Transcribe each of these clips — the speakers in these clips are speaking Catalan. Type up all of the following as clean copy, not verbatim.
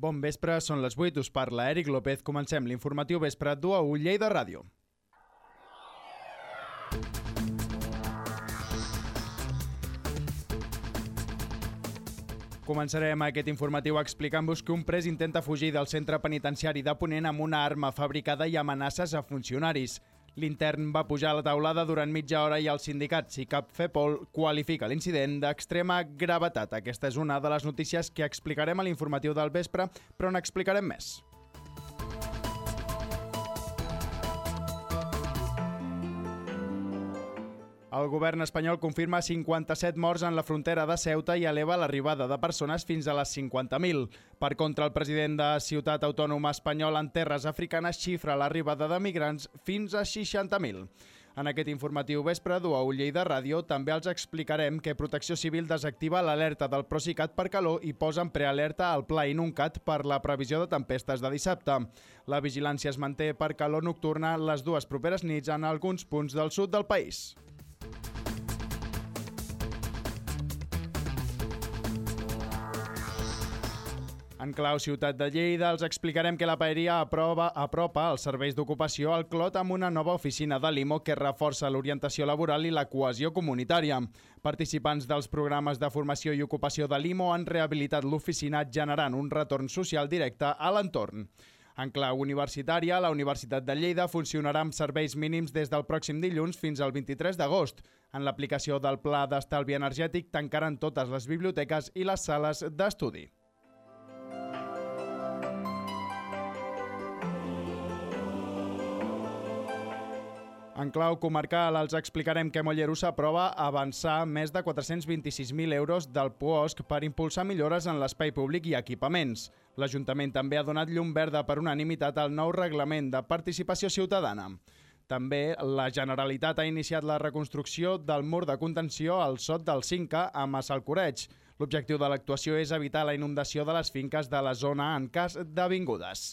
Bon vespre, són les 8, us parla Eric López. Comencem l'informatiu vespre d'1 Lleida Ràdio. Començarem aquest informatiu explicant-vos que un pres intenta fugir del centre penitenciari de Ponent amb una arma fabricada i amenaces a funcionaris. L'intern va pujar a la taulada durant mitja hora i el sindicat SICAP FEPOL qualifica l'incident d'extrema gravetat. Aquesta és una de les notícies que explicarem a l'informatiu del vespre, però n'explicarem més. El govern espanyol confirma 57 morts en la frontera de Ceuta i eleva l'arribada de persones fins a les 50.000. Per contra, el president de Ciutat Autònoma Espanyola en terres africanes xifra l'arribada de migrants fins a 60.000. En aquest informatiu vespre d'1 Lleida Ràdio també els explicarem que Protecció Civil desactiva l'alerta del Procicat per calor i posa en prealerta al Pla Inuncat per la previsió de tempestes de dissabte. La vigilància es manté per calor nocturna les dues properes nits en alguns punts del sud del país. En clau Ciutat de Lleida els explicarem que la Paeria apropa els serveis d'ocupació al Clot amb una nova oficina de l'IMO que reforça l'orientació laboral i la cohesió comunitària. Participants dels programes de formació i ocupació de l'IMO han rehabilitat l'oficina generant un retorn social directe a l'entorn. En clau universitària, la Universitat de Lleida funcionarà amb serveis mínims des del pròxim dilluns fins al 23 d'agost. En l'aplicació del Pla d'Estalvi Energètic tancaran totes les biblioteques i les sales d'estudi. En clau comarcal els explicarem que Mollerussa aprova avançar més de 426.000 euros del POSC per impulsar millores en l'espai públic i equipaments. L'Ajuntament també ha donat llum verda per unanimitat al nou reglament de participació ciutadana. També la Generalitat ha iniciat la reconstrucció del mur de contenció al Sot del Cinca a Massalcoreig. L'objectiu de l'actuació és evitar la inundació de les finques de la zona en cas d'avingudes.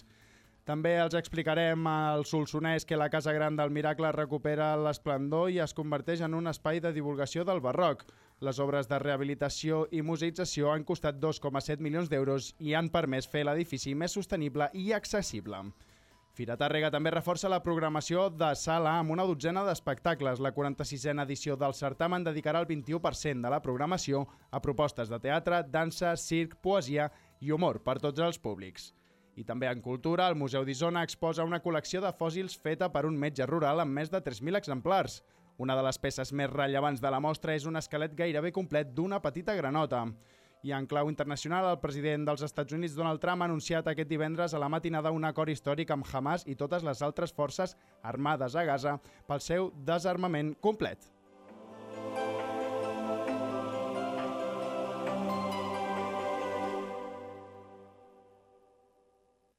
També els explicarem al Solsonès que la Casa Gran del Miracle recupera l'esplendor i es converteix en un espai de divulgació del barroc. Les obres de rehabilitació i museïtzació han costat 2,7 milions d'euros i han permès fer l'edifici més sostenible i accessible. Fira Tàrrega també reforça la programació de sala amb una dotzena d'espectacles. La 46a edició del certamen dedicarà el 21% de la programació a propostes de teatre, dansa, circ, poesia i humor per tots els públics. I també en cultura, el Museu d'Isona exposa una col·lecció de fòssils feta per un metge rural amb més de 3.000 exemplars. Una de les peces més rellevants de la mostra és un esquelet gairebé complet d'una petita granota. I en clau internacional, el president dels Estats Units, Donald Trump, ha anunciat aquest divendres a la matinada un acord històric amb Hamas i totes les altres forces armades a Gaza pel seu desarmament complet.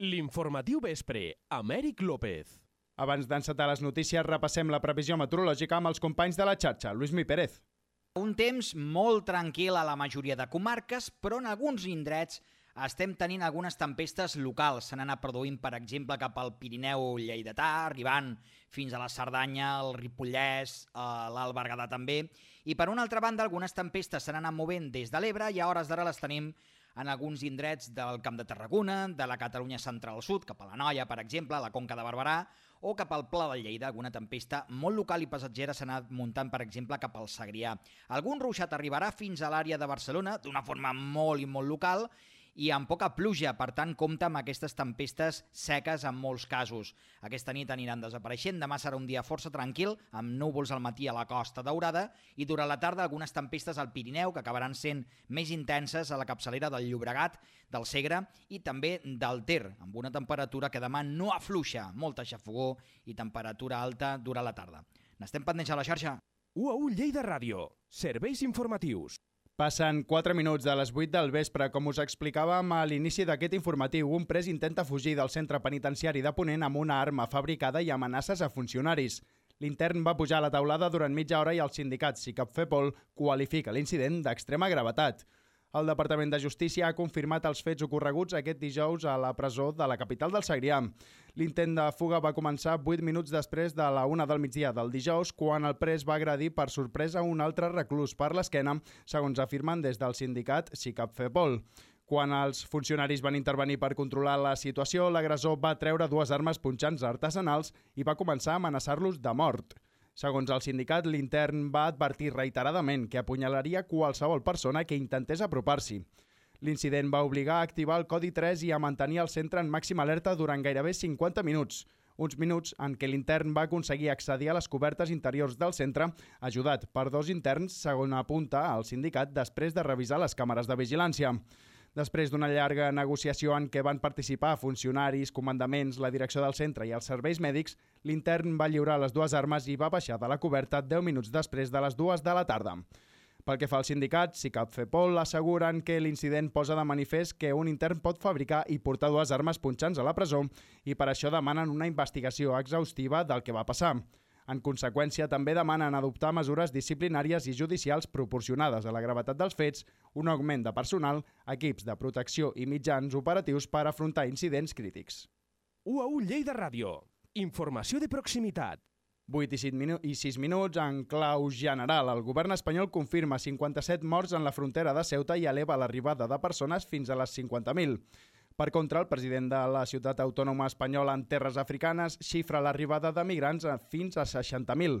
L'informatiu vespre, amb Eric López. Abans d'encetar les notícies, repassem la previsió meteorològica amb els companys de la xarxa. Luismi Pérez. Un temps molt tranquil a la majoria de comarques, però en alguns indrets estem tenint algunes tempestes locals. S'han anat produint, per exemple, cap al Pirineu lleidatà, arribant fins a la Cerdanya, el Ripollès, l'Alt Berguedà també. I per una altra banda, algunes tempestes s'han anat movent des de l'Ebre i a hores d'ara les tenim en alguns indrets del Camp de Tarragona, de la Catalunya central-sud, cap a la Noia, per exemple, a la Conca de Barberà, o cap al Pla de Lleida, alguna tempesta molt local i passatgera s'ha anat muntant, per exemple, cap al Segrià. Algun ruixat arribarà fins a l'àrea de Barcelona, d'una forma molt i molt local, i amb poca pluja, per tant, compta amb aquestes tempestes seques en molts casos. Aquesta nit aniran desapareixent, demà serà un dia força tranquil, amb núvols al matí a la Costa Daurada, i durant la tarda algunes tempestes al Pirineu, que acabaran sent més intenses a la capçalera del Llobregat, del Segre i també del Ter, amb una temperatura que demà no afluixa, molta xafogor i temperatura alta durant la tarda. N'estem pendents a la xarxa. 1 Lleida Ràdio. Serveis informatius. Passen 4 minuts de les 8 del vespre. Com us explicàvem a l'inici d'aquest informatiu, un pres intenta fugir del centre penitenciari de Ponent amb una arma fabricada i amenaces a funcionaris. L'intern va pujar a la taulada durant mitja hora i el sindicat SICAP FEPOL qualifica l'incident d'extrema gravetat. El Departament de Justícia ha confirmat els fets ocorreguts aquest dijous a la presó de la capital del Segrià. L'intent de fuga va començar 8 minuts després de la 1 del migdia del dijous, quan el pres va agredir per sorpresa un altre reclús per l'esquena, segons afirmen des del sindicat SICAP FEPOL. Quan els funcionaris van intervenir per controlar la situació, l'agressor va treure 2 armes punxants artesanals i va començar a amenaçar-los de mort. Segons el sindicat, l'intern va advertir reiteradament que apunyalaria qualsevol persona que intentés apropar-s'hi. L'incident va obligar a activar el codi 3 i a mantenir el centre en màxima alerta durant gairebé 50 minuts. Uns minuts en què l'intern va aconseguir accedir a les cobertes interiors del centre, ajudat per 2 interns, segons apunta el sindicat, després de revisar les càmeres de vigilància. Després d'una llarga negociació en què van participar funcionaris, comandaments, la direcció del centre i els serveis mèdics, l'intern va lliurar les 2 armes i va baixar de la coberta 10 minuts després de les 2 de la tarda. Pel que fa al sindicat, SICAP FEPOL asseguren que l'incident posa de manifest que un intern pot fabricar i portar 2 armes punxants a la presó i per això demanen una investigació exhaustiva del que va passar. En conseqüència, també demanen adoptar mesures disciplinàries i judicials proporcionades a la gravetat dels fets, un augment de personal, equips de protecció i mitjans operatius per afrontar incidents crítics. UAU Lleida Ràdio. Informació de proximitat. 8 i 6 minuts en clau general. El govern espanyol confirma 57 morts en la frontera de Ceuta i eleva l'arribada de persones fins a les 50.000. Per contra, el president de la ciutat autònoma espanyola en terres africanes xifra l'arribada de migrants fins a 60.000.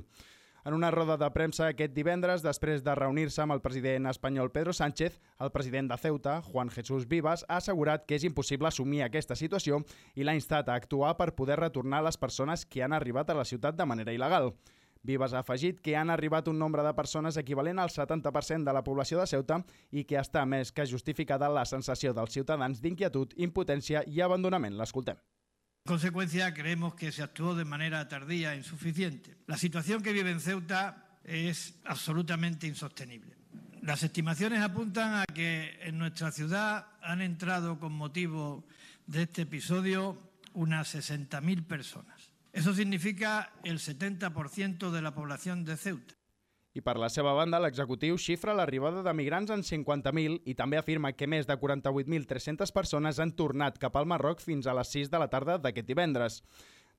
En una roda de premsa aquest divendres, després de reunir-se amb el president espanyol Pedro Sánchez, el president de Ceuta, Juan Jesús Vivas, ha assegurat que és impossible assumir aquesta situació i l'ha instat a actuar per poder retornar les persones que han arribat a la ciutat de manera il·legal. Vivas ha afegit que han arribat un nombre de persones equivalent al 70% de la població de Ceuta i que està més que justificada la sensació dels ciutadans d'inquietud, impotència i abandonament. L'escoltem. En consecuencia, creemos que se actuó de manera tardía e insuficiente. La situación que vive en Ceuta es absolutamente insostenible. Las estimaciones apuntan a que en nuestra ciudad han entrado con motivo de este episodio unas 60.000 personas. Eso significa el 70% de la población de Ceuta. I per la seva banda, l'executiu xifra l'arribada de migrants en 50.000 i també afirma que més de 48.300 persones han tornat cap al Marroc fins a les 6 de la tarda d'aquest divendres.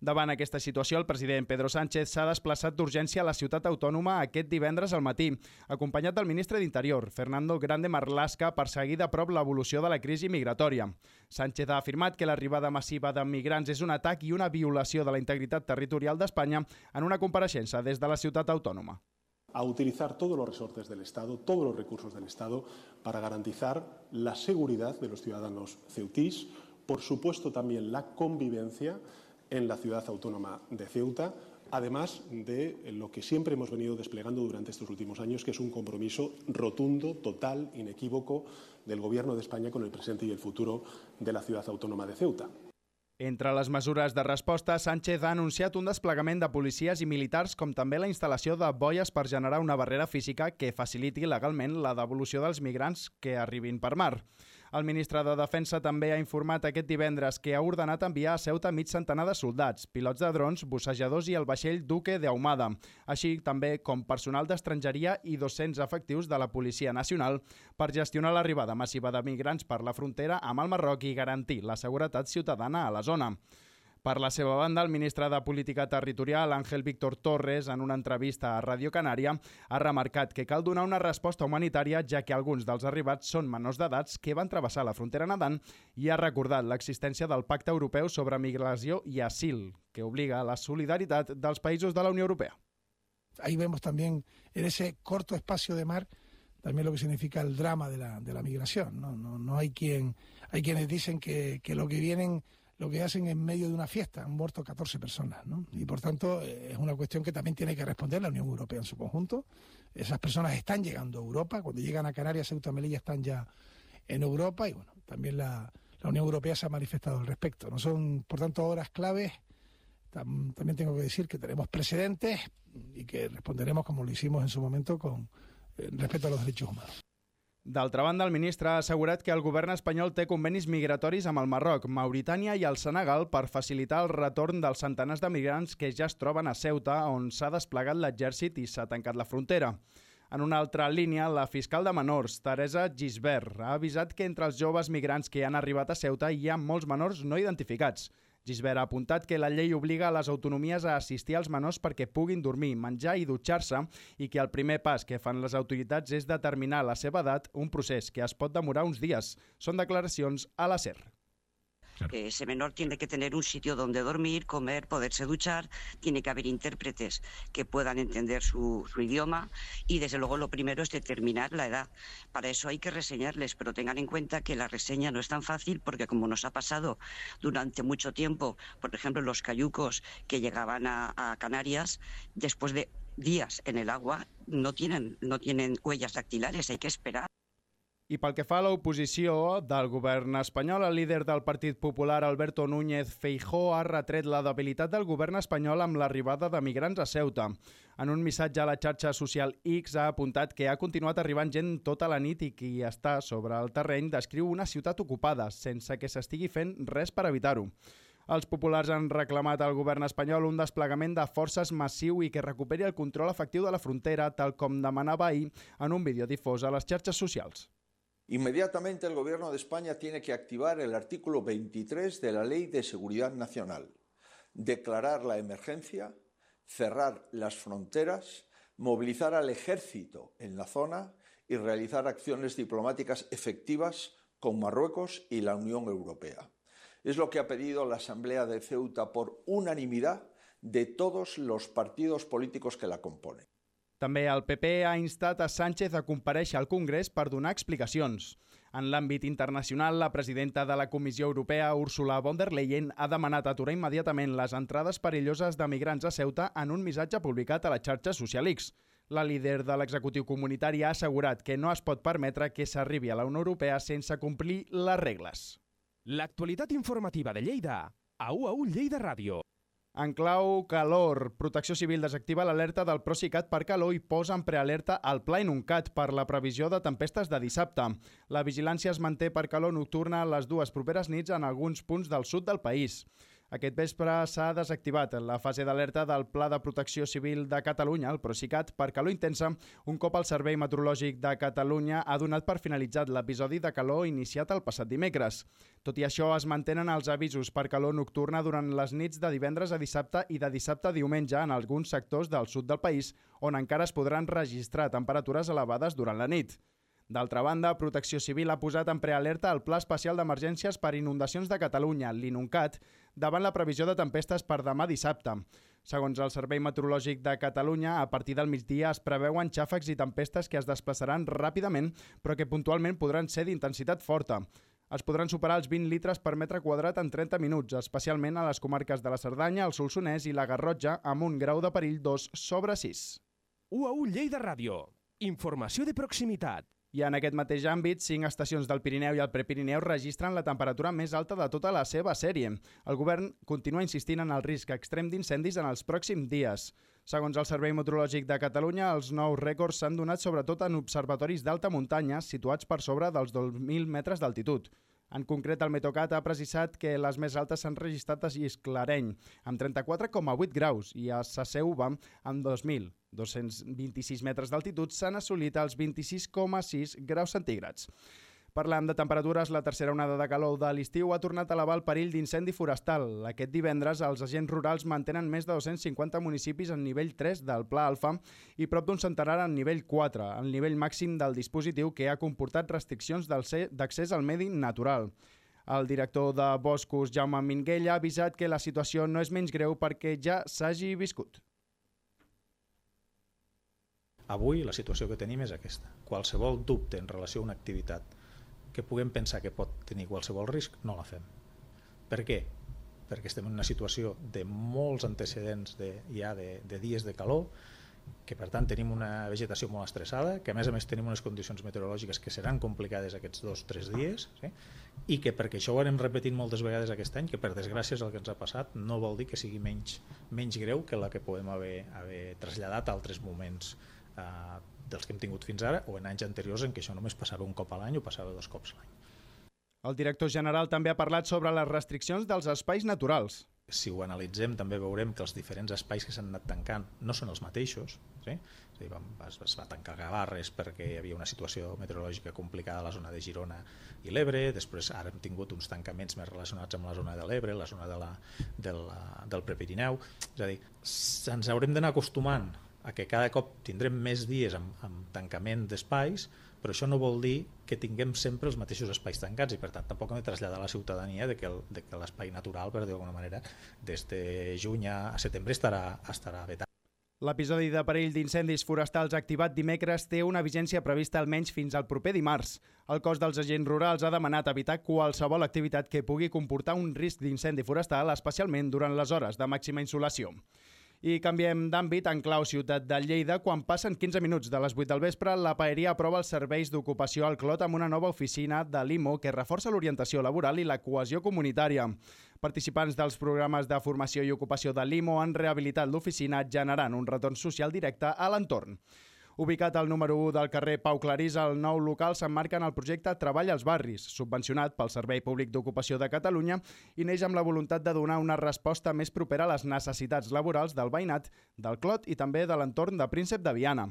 Davant aquesta situació, el president Pedro Sánchez s'ha desplaçat d'urgència a la ciutat autònoma aquest divendres al matí, acompanyat del ministre d'Interior, Fernando Grande Marlaska, per seguir de prop l'evolució de la crisi migratòria. Sánchez ha afirmat que l'arribada massiva de migrants és un atac i una violació de la integritat territorial d'Espanya en una compareixença des de la ciutat autònoma. A utilizar todos los resortes del Estado, todos los recursos del Estado, para garantizar la seguridad de los ciudadanos ceutís, por supuesto también la convivencia en la ciudad autónoma de Ceuta, además de lo que siempre hemos venido desplegando durante estos últimos años, que es un compromiso rotundo, total, inequívoco del Gobierno de España con el presente y el futuro de la ciudad autónoma de Ceuta. Entre les mesures de resposta, Sánchez ha anunciat un desplegament de policies i militars com també la instal·lació de boies per generar una barrera física que faciliti legalment la devolució dels migrants que arribin per mar. El ministre de Defensa també ha informat aquest divendres que ha ordenat enviar a Ceuta mig centenar de soldats, pilots de drons, bussejadors i el vaixell Duque de Ahumada, així també com personal d'estrangeria i 200 efectius de la Policia Nacional per gestionar l'arribada massiva de migrants per la frontera amb el Marroc i garantir la seguretat ciutadana a la zona. Per la seva banda, el ministre de Política Territorial, Ángel Víctor Torres, en una entrevista a Radio Canària, ha remarcat que cal donar una resposta humanitària ja que alguns dels arribats són menors d'edats que van travessar la frontera nedant i ha recordat l'existència del Pacte Europeu sobre Migració i Asil, que obliga a la solidaritat dels països de la Unió Europea. Ahí vemos también en ese corto espacio de mar también lo que significa el drama de la migración. No hay quienes dicen que lo que vienen lo que hacen en medio de una fiesta, han muerto 14 personas, ¿no? Y por tanto es una cuestión que también tiene que responder la Unión Europea en su conjunto. Esas personas están llegando a Europa, cuando llegan a Canarias, Ceuta y Melilla están ya en Europa y bueno, también la Unión Europea se ha manifestado al respecto. No son, por tanto, horas claves. También tengo que decir que tenemos precedentes y que responderemos como lo hicimos en su momento con respecto a los derechos humanos. D'altra banda, el ministre ha assegurat que el govern espanyol té convenis migratoris amb el Marroc, Mauritània i el Senegal per facilitar el retorn dels centenars de migrants que ja es troben a Ceuta, on s'ha desplegat l'exèrcit i s'ha tancat la frontera. En una altra línia, la fiscal de menors, Teresa Gisbert, ha avisat que entre els joves migrants que han arribat a Ceuta hi ha molts menors no identificats. Gisbert ha apuntat que la llei obliga a les autonomies a assistir als menors perquè puguin dormir, menjar i dutxar-se i que el primer pas que fan les autoritats és determinar la seva edat, un procés que es pot demorar uns dies. Són declaracions a la SER. Ese menor tiene que tener un sitio donde dormir, comer, poderse duchar, tiene que haber intérpretes que puedan entender su idioma y desde luego lo primero es determinar la edad. Para eso hay que reseñarles, pero tengan en cuenta que la reseña no es tan fácil porque como nos ha pasado durante mucho tiempo, por ejemplo los cayucos que llegaban a Canarias, después de días en el agua no tienen huellas dactilares, hay que esperar. I pel que fa a l'oposició del govern espanyol, el líder del Partit Popular, Alberto Núñez Feijóo, ha retret la debilitat del govern espanyol amb l'arribada de migrants a Ceuta. En un missatge a la xarxa social X ha apuntat que ha continuat arribant gent tota la nit i qui està sobre el terreny descriu una ciutat ocupada, sense que s'estigui fent res per evitar-ho. Els populars han reclamat al govern espanyol un desplegament de forces massiu i que recuperi el control efectiu de la frontera, tal com demanava ahir en un vídeo difós a les xarxes socials. Inmediatamente el Gobierno de España tiene que activar el artículo 23 de la Ley de Seguridad Nacional, declarar la emergencia, cerrar las fronteras, movilizar al ejército en la zona y realizar acciones diplomáticas efectivas con Marruecos y la Unión Europea. Es lo que ha pedido la Asamblea de Ceuta por unanimidad de todos los partidos políticos que la componen. També el PP ha instat a Sánchez a comparèixer al Congrés per donar explicacions. En l'àmbit internacional, la presidenta de la Comissió Europea, Ursula von der Leyen, ha demanat aturar immediatament les entrades perilloses de migrants a Ceuta en un missatge publicat a la xarxa social X. La líder de l'executiu comunitari ha assegurat que no es pot permetre que s'arribi a la Unió Europea sense complir les regles. L'actualitat informativa de Lleida, a UAU Lleida Ràdio. En clau calor, Protecció Civil desactiva l'alerta del Procicat per calor i posa en prealerta el Pla Inuncat per la previsió de tempestes de dissabte. La vigilància es manté per calor nocturna les dues properes nits en alguns punts del sud del país. Aquest vespre s'ha desactivat la fase d'alerta del Pla de Protecció Civil de Catalunya, el Procicat, per calor intensa, un cop el Servei Meteorològic de Catalunya ha donat per finalitzat l'episodi de calor iniciat el passat dimecres. Tot i això, es mantenen els avisos per calor nocturna durant les nits de divendres a dissabte i de dissabte a diumenge en alguns sectors del sud del país, on encara es podran registrar temperatures elevades durant la nit. D'altra banda, Protecció Civil ha posat en prealerta el Pla Especial d'Emergències per Inundacions de Catalunya, l'INUNCAT, davant la previsió de tempestes per demà dissabte. Segons el Servei Meteorològic de Catalunya, a partir del migdia es preveuen xàfecs i tempestes que es desplaçaran ràpidament, però que puntualment podran ser d'intensitat forta. Es podran superar els 20 litres per metre quadrat en 30 minuts, especialment a les comarques de la Cerdanya, el Solsonès i la Garrotxa, amb un grau de perill 2/6. UAU Lleida Ràdio. Informació de proximitat. I en aquest mateix àmbit, 5 estacions del Pirineu i el Prepirineu registren la temperatura més alta de tota la seva sèrie. El govern continua insistint en el risc extrem d'incendis en els pròxims dies. Segons el Servei Meteorològic de Catalunya, els nous rècords s'han donat sobretot en observatoris d'alta muntanya situats per sobre dels 2.000 metres d'altitud. En concret, el Meteocat ha precisat que les més altes s'han registrat a Gisclareny, amb 34,8 graus, i a Saseuva, amb 2.226 metres d'altitud, s'han assolit els 26,6 graus centígrads. Parlant de temperatures, la tercera onada de calor de l'estiu ha tornat a elevar el perill d'incendi forestal. Aquest divendres, els agents rurals mantenen més de 250 municipis en nivell 3 del Pla Alfa i prop d'un centenar en nivell 4, el nivell màxim del dispositiu que ha comportat restriccions d'accés al medi natural. El director de Boscos, Jaume Minguella, ha avisat que la situació no és menys greu perquè ja s'hagi viscut. Avui la situació que tenim és aquesta. Qualsevol dubte en relació a una activitat que puguem pensar que pot tenir qualsevol risc, no la fem. Per què? Perquè estem en una situació de molts antecedents ja de dies de calor, que per tant tenim una vegetació molt estressada, que a més tenim unes condicions meteorològiques que seran complicades aquests 2 o 3 dies, sí? I que perquè això ho anem repetint moltes vegades aquest any, que per desgràcia és el que ens ha passat, no vol dir que sigui menys greu que la que podem haver traslladat a altres moments dels que hem tingut fins ara, o en anys anteriors en què això només passava un cop a l'any o passava 2 cops a l'any. El director general també ha parlat sobre les restriccions dels espais naturals. si ho analitzem també veurem que els diferents espais que s'han anat tancant no són els mateixos, sí? És a dir, es va tancar Gavarres perquè hi havia una situació meteorològica complicada a la zona de Girona i l'Ebre, després ara hem tingut uns tancaments més relacionats amb la zona de l'Ebre, la zona del Prepirineu, és a dir, ens haurem d'anar acostumant a que cada cop tindrem més dies amb tancament d'espais, però això no vol dir que tinguem sempre els mateixos espais tancats i per tant tampoc hem de traslladar a la ciutadania de que l'espai natural, per dir-ho d'alguna manera, des de juny a setembre estarà vetat. L'episodi de perill d'incendis forestals activat dimecres té una vigència prevista almenys fins al proper dimarts. El cos dels agents rurals ha demanat evitar qualsevol activitat que pugui comportar un risc d'incendi forestal, especialment durant les hores de màxima insolació. I canviem d'àmbit en clau ciutat de Lleida. Quan passen 15 minuts de les 8 del vespre, la Paeria aprova els serveis d'ocupació al Clot amb una nova oficina de l'IMO que reforça l'orientació laboral i la cohesió comunitària. Participants dels programes de formació i ocupació de l'IMO han rehabilitat l'oficina generant un retorn social directe a l'entorn. Ubicat al número 1 del carrer Pau Clarís, el nou local s'emmarca en el projecte Treball als Barris, subvencionat pel Servei Públic d'Ocupació de Catalunya i neix amb la voluntat de donar una resposta més propera a les necessitats laborals del veïnat, del Clot i també de l'entorn de Príncep de Viana.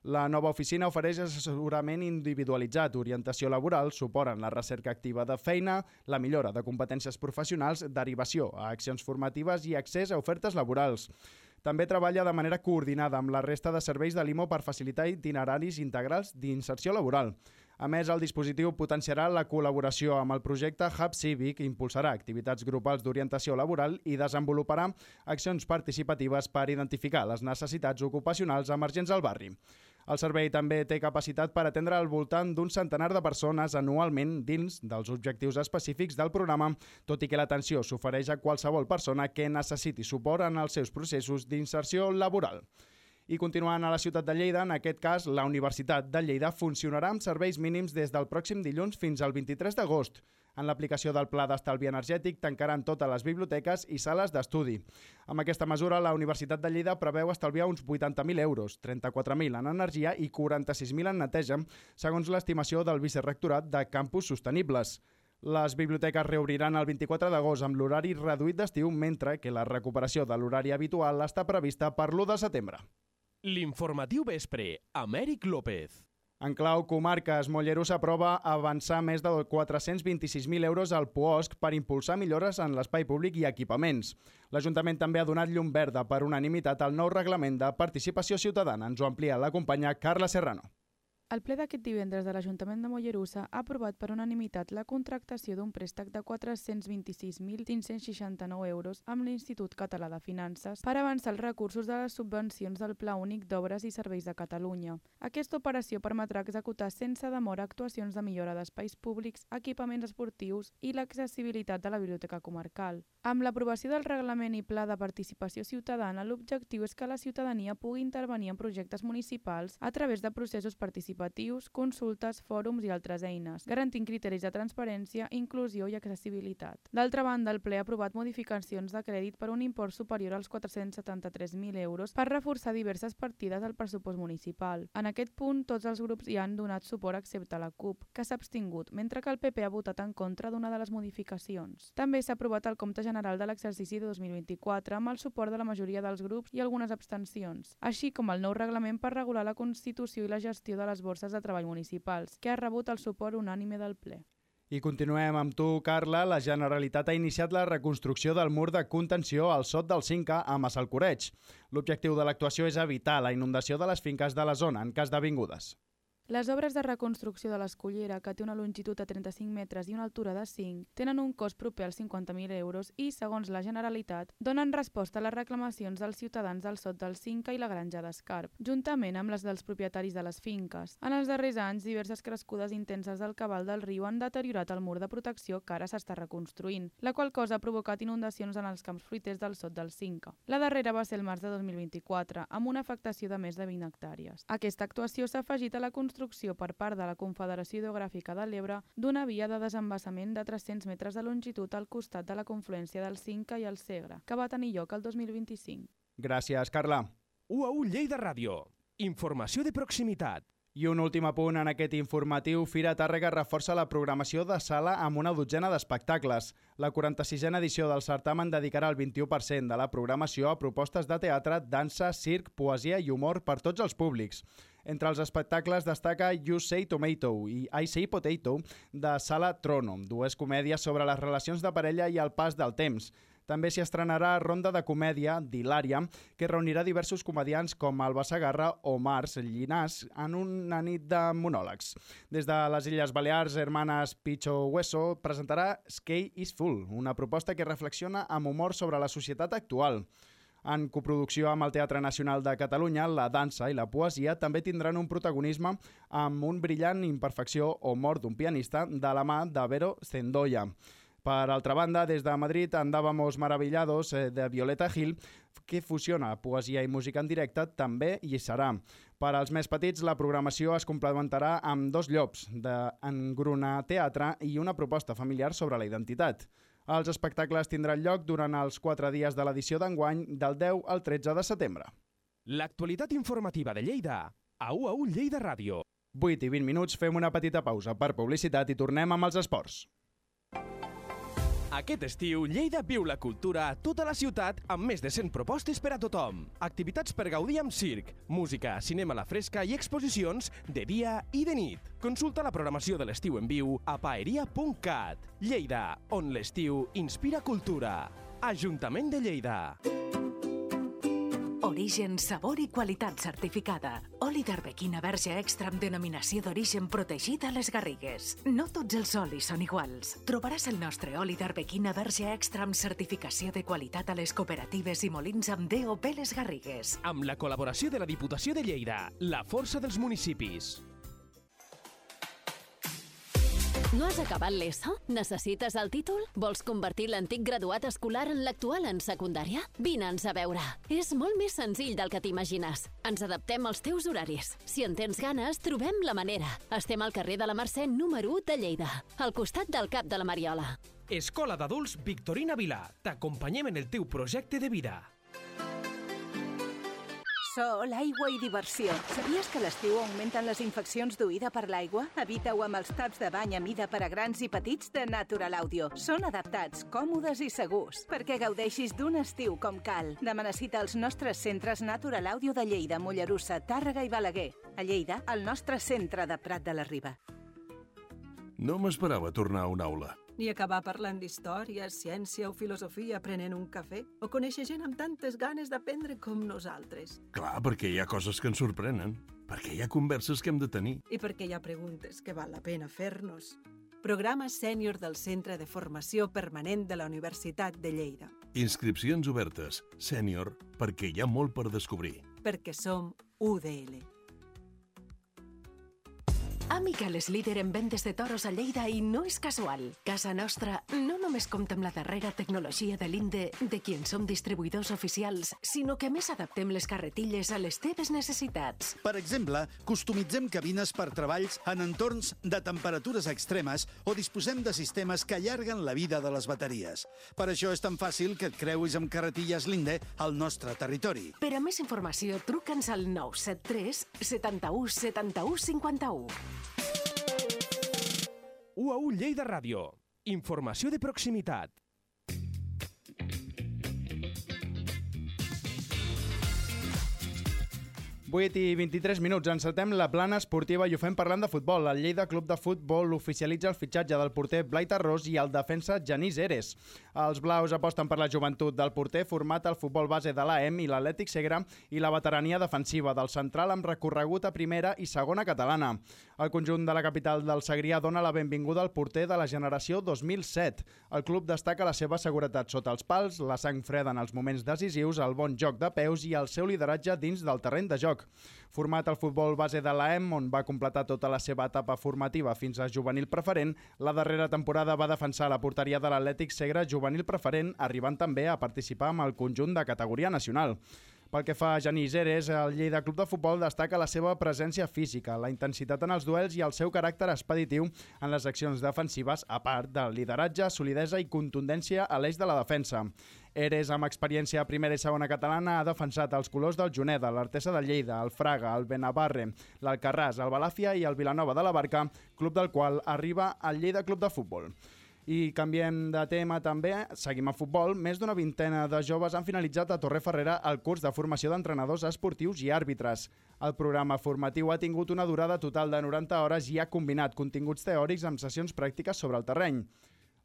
La nova oficina ofereix assessorament individualitzat, orientació laboral, suport en la recerca activa de feina, la millora de competències professionals, derivació a accions formatives i accés a ofertes laborals. També treballa de manera coordinada amb la resta de serveis de l'IMO per facilitar itineraris integrals d'inserció laboral. A més, el dispositiu potenciarà la col·laboració amb el projecte Hub Cívic, impulsarà activitats grupals d'orientació laboral i desenvoluparà accions participatives per identificar les necessitats ocupacionals emergents al barri. El servei també té capacitat per atendre al voltant d'un centenar de persones anualment dins dels objectius específics del programa, tot i que l'atenció s'ofereix a qualsevol persona que necessiti suport en els seus processos d'inserció laboral. I continuant a la ciutat de Lleida, en aquest cas, la Universitat de Lleida funcionarà amb serveis mínims des del pròxim dilluns fins al 23 d'agost. En l'aplicació del Pla d'Estalvi Energètic tancaran totes les biblioteques i sales d'estudi. Amb aquesta mesura, la Universitat de Lleida preveu estalviar uns 80.000 euros, 34.000 en energia i 46.000 en neteja, segons l'estimació del Vicerrectorat de Campus Sostenibles. Les biblioteques reobriran el 24 d'agost amb l'horari reduït d'estiu, mentre que la recuperació de l'horari habitual està prevista per l'1 de setembre. L'informatiu vespre, Amèric López. En clau comarques, Mollerussa aprova avançar més de 426.000 euros al POSC per impulsar millores en l'espai públic i equipaments. L'Ajuntament també ha donat llum verda per unanimitat al nou reglament de participació ciutadana. Ens ho amplia la companya Carla Serrano. El ple d'aquest divendres de l'Ajuntament de Mollerussa ha aprovat per unanimitat la contractació d'un préstec de 426.569 euros amb l'Institut Català de Finances per avançar els recursos de les subvencions del Pla Únic d'Obres i Serveis de Catalunya. Aquesta operació permetrà executar sense demora actuacions de millora d'espais públics, equipaments esportius i l'accessibilitat de la Biblioteca Comarcal. Amb l'aprovació del reglament i pla de participació ciutadana, l'objectiu és que la ciutadania pugui intervenir en projectes municipals a través de processos participatius, consultes, fòrums i altres eines, garantint criteris de transparència, inclusió i accessibilitat. D'altra banda, el ple ha aprovat modificacions de crèdit per un import superior als 473.000 euros per reforçar diverses partides del pressupost municipal. En aquest punt, tots els grups hi han donat suport excepte la CUP, que s'ha abstingut, mentre que el PP ha votat en contra d'una de les modificacions. També s'ha aprovat el compte general de l'exercici de 2024 amb el suport de la majoria dels grups i algunes abstencions, així com el nou reglament per regular la constitució i la gestió de les borses de treball municipals, que ha rebut el suport unànime del ple. I continuem amb tu, Carla. La Generalitat ha iniciat la reconstrucció del mur de contenció al Sot del Cinca a Massalcoreig. L'objectiu de l'actuació és evitar la inundació de les finques de la zona en cas d'avingudes. Les obres de reconstrucció de l'Escullera, que té una longitud de 35 metres i una altura de 5, tenen un cost proper als 50.000 euros i, segons la Generalitat, donen resposta a les reclamacions dels ciutadans del Sot del Cinca i la Granja d'Escarp, juntament amb les dels propietaris de les finques. En els darrers anys, diverses crescudes intenses del cabal del riu han deteriorat el mur de protecció que ara s'està reconstruint, la qual cosa ha provocat inundacions en els camps fruiters del Sot del Cinca. La darrera va ser el març de 2024, amb una afectació de més de 20 hectàrees. Aquesta actuació s'ha afegit a la construcció per part de la Confederació Hidrogràfica de l'Ebre d'una via de desembassament de 300 metres de longitud al costat de la confluència del Cinca i el Segre, que va tenir lloc el 2025. Gràcies, Carla. UAU Lleida Ràdio. Informació de proximitat. I un últim apunt en aquest informatiu, Fira Tàrrega reforça la programació de sala amb una dotzena d'espectacles. La 46a edició del certamen dedicarà el 21% de la programació a propostes de teatre, dansa, circ, poesia i humor per tots els públics. Entre els espectacles destaca You Say Tomato i I Say Potato de Sala Trono, dues comèdies sobre les relacions de parella i el pas del temps. També s'hi estrenarà Ronda de Comèdia d'Hilària, que reunirà diversos comediants com Alba Segarra o Març Llinàs en una nit de monòlegs. Des de les Illes Balears, Hermanas Picho Hueso presentarà Sky is Full, una proposta que reflexiona amb humor sobre la societat actual. En coproducció amb el Teatre Nacional de Catalunya, la dansa i la poesia també tindran un protagonisme amb un brillant imperfecció o mort d'un pianista de la mà de Vero Zendoya. Per altra banda, des de Madrid, Andábamos Maravillados de Violeta Gil, que fusiona poesia i música en directe, també hi serà. Per als més petits, la programació es complementarà amb dos llops d'Engruna Teatre i una proposta familiar sobre la identitat. Els espectacles tindran lloc durant els 4 dies de l'edició d'enguany, del 10 al 13 de setembre. L'actualitat informativa de Lleida, a UAU Lleida Ràdio. 8 i 20 minuts, fem una petita pausa per publicitat i tornem amb els esports. Aquest estiu, Lleida viu la cultura a tota la ciutat amb més de 100 propostes per a tothom. Activitats per gaudir amb circ, música, cinema a la fresca i exposicions de dia i de nit. Consulta la programació de l'estiu en viu a paeria.cat. Lleida, on l'estiu inspira cultura. Ajuntament de Lleida. Origen, sabor i qualitat certificada. Oli d'Arbequina verge extra amb denominació d'origen protegida a les Garrigues. No tots els olis són iguals. Trobaràs el nostre oli d'Arbequina verge extra amb certificació de qualitat a les cooperatives i molins amb DOP les Garrigues. Amb la col·laboració de la Diputació de Lleida, la força dels municipis. No has acabat l'ESO? Necessites el títol? Vols convertir l'antic graduat escolar en l'actual en secundària? Vine'ns a veure. És molt més senzill del que t'imagines. Ens adaptem als teus horaris. Si en tens ganes, trobem la manera. Estem al carrer de la Mercè número 1 de Lleida, al costat del Cap de la Mariola. Escola d'Adults Victorina Vilà. T'acompanyem en el teu projecte de vida. Sol, aigua i diversió. Sabies que a l'estiu augmenten les infeccions d'oïda per l'aigua? Evita-ho amb els taps de bany a mida per a grans i petits de Natural Audio. Són adaptats, còmodes i segurs, perquè gaudeixis d'un estiu com cal. Demana cita als nostres centres Natural Audio de Lleida, Mollerussa, Tàrrega i Balaguer. A Lleida, el nostre centre de Prat de la Riba. No m'esperava tornar a una aula. Ni acabar parlant d'història, ciència o filosofia prenent un cafè, o conèixer gent amb tantes ganes d'aprendre com nosaltres. Clar, perquè hi ha coses que ens sorprenen, perquè hi ha converses que hem de tenir. I perquè hi ha preguntes que val la pena fer-nos. Programa sènior del Centre de Formació Permanent de la Universitat de Lleida. Inscripcions obertes, sènior, perquè hi ha molt per descobrir. Perquè som UDL. Amical és líder en vendes de toros a Lleida i no és casual. Casa Nostra no només compta amb la darrera tecnologia de l'INDE, de qui en som distribuïdors oficials, sinó que a més adaptem les carretilles a les teves necessitats. Per exemple, customitzem cabines per treballs en entorns de temperatures extremes o disposem de sistemes que allarguen la vida de les bateries. Per això és tan fàcil que et creuis amb carretilles l'INDE al nostre territori. Per a més informació, truca'ns al 973 71 71 51. UAU Lleida Ràdio. Informació de proximitat. 8 i 23 minuts. Encetem la plana esportiva i ho fem parlant de futbol. El Lleida Club de Futbol oficialitza el fitxatge del porter Blai Tarrós i el defensa Genís Eres. Els blaus aposten per la joventut del porter format al futbol base de l'AEM i l'Atlètic Segre i la veterania defensiva del central amb recorregut a primera i segona catalana. El conjunt de la capital del Segrià dona la benvinguda al porter de la generació 2007. El club destaca la seva seguretat sota els pals, la sang freda en els moments decisius, el bon joc de peus i el seu lideratge dins del terreny de joc. Format al futbol base de l'AEM, on va completar tota la seva etapa formativa fins a juvenil preferent, la darrera temporada va defensar la porteria de l'Atlètic Segre juvenil preferent, arribant també a participar amb el conjunt de categoria nacional. Pel que fa a Genís Eres, el Lleida Club de Futbol destaca la seva presència física, la intensitat en els duels i el seu caràcter expeditiu en les accions defensives, a part del lideratge, solidesa i contundència a l'eix de la defensa. Eres, amb experiència a primera i segona catalana, ha defensat els colors del Juneda, l'Artesa de Lleida, el Fraga, el Benavarre, l'Alcarràs, el Balàfia i el Vilanova de la Barca, club del qual arriba el Lleida Club de Futbol. I canviem de tema també, seguim a futbol. Més d'una vintena de joves han finalitzat a Torreferrera el curs de formació d'entrenadors esportius i àrbitres. El programa formatiu ha tingut una durada total de 90 hores i ha combinat continguts teòrics amb sessions pràctiques sobre el terreny.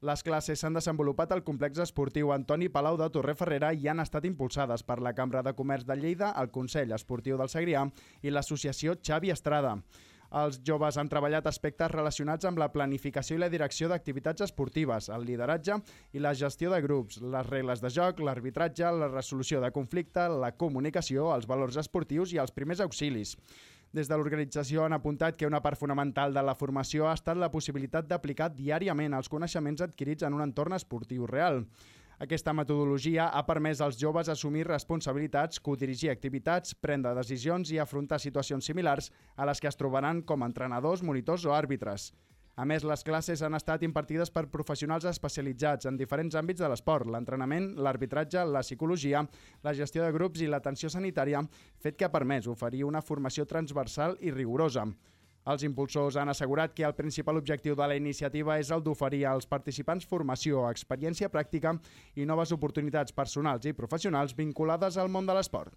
Les classes s'han desenvolupat al complex esportiu Antoni Palau de Torreferrera i han estat impulsades per la Cambra de Comerç de Lleida, el Consell Esportiu del Segrià i l'associació Xavi Estrada. Els joves han treballat aspectes relacionats amb la planificació i la direcció d'activitats esportives, el lideratge i la gestió de grups, les regles de joc, l'arbitratge, la resolució de conflicte, la comunicació, els valors esportius i els primers auxilis. Des de l'organització han apuntat que una part fonamental de la formació ha estat la possibilitat d'aplicar diàriament els coneixements adquirits en un entorn esportiu real. Aquesta metodologia ha permès als joves assumir responsabilitats, codirigir activitats, prendre decisions i afrontar situacions similars a les que es trobaran com a entrenadors, monitors o àrbitres. A més, les classes han estat impartides per professionals especialitzats en diferents àmbits de l'esport, l'entrenament, l'arbitratge, la psicologia, la gestió de grups i l'atenció sanitària, fet que ha permès oferir una formació transversal i rigorosa. Els impulsors han assegurat que el principal objectiu de la iniciativa és el d'oferir als participants formació, experiència pràctica i noves oportunitats personals i professionals vinculades al món de l'esport.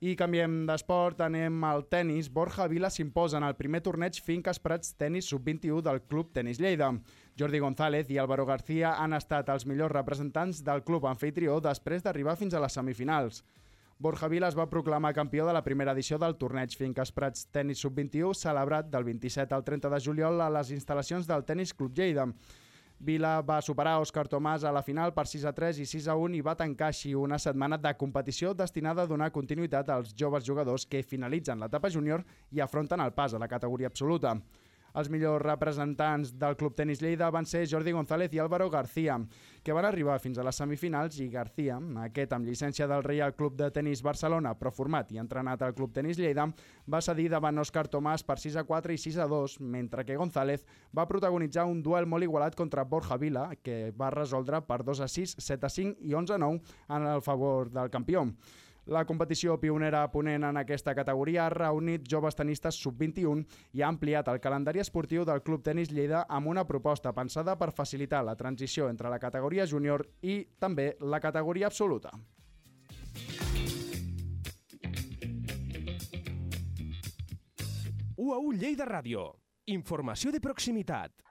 I canviem d'esport, anem al tennis. Borja Vila s'imposa en el primer torneig Finques Prats Tenis Sub-21 del Club Tenis Lleida. Jordi González i Álvaro García han estat els millors representants del club anfitrió després d'arribar fins a les semifinals. Borja Vila es va proclamar campió de la primera edició del torneig Finques Prats Tenis Sub-21, celebrat del 27 al 30 de juliol a les instal·lacions del Tenis Club Lleida. Vila va superar Òscar Tomàs a la final per 6-3 i 6-1 i va tancar així una setmana de competició destinada a donar continuïtat als joves jugadors que finalitzen l'etapa júnior i afronten el pas a la categoria absoluta. Els millors representants del Club Tenis Lleida van ser Jordi González i Álvaro García, que van arribar fins a les semifinals, i García, aquest amb llicència del Reial Club de Tenis Barcelona, però format i entrenat al Club Tenis Lleida, va cedir davant Òscar Tomàs per 6-4 i 6-2, mentre que González va protagonitzar un duel molt igualat contra Borja Vila, que va resoldre per 2-6, 7-5 i 11-9 en el favor del campió. La competició pionera ponent en aquesta categoria ha reunit joves tenistes sub-21 i ha ampliat el calendari esportiu del Club Tenis Lleida amb una proposta pensada per facilitar la transició entre la categoria júnior i també la categoria absoluta. UAU Lleida Ràdio. Informació de proximitat.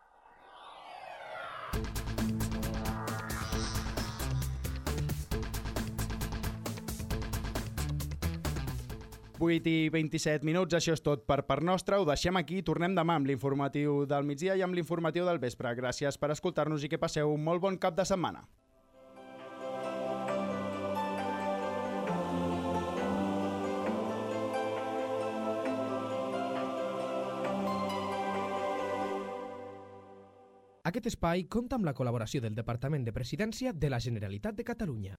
I 27 minuts, això és tot per part nostra. Ho deixem aquí i tornem demà amb l'informatiu del migdia i amb l'informatiu del vespre. Gràcies per escoltar-nos i que passeu un molt bon cap de setmana. Aquest espai compta amb la col·laboració del Departament de Presidència de la Generalitat de Catalunya.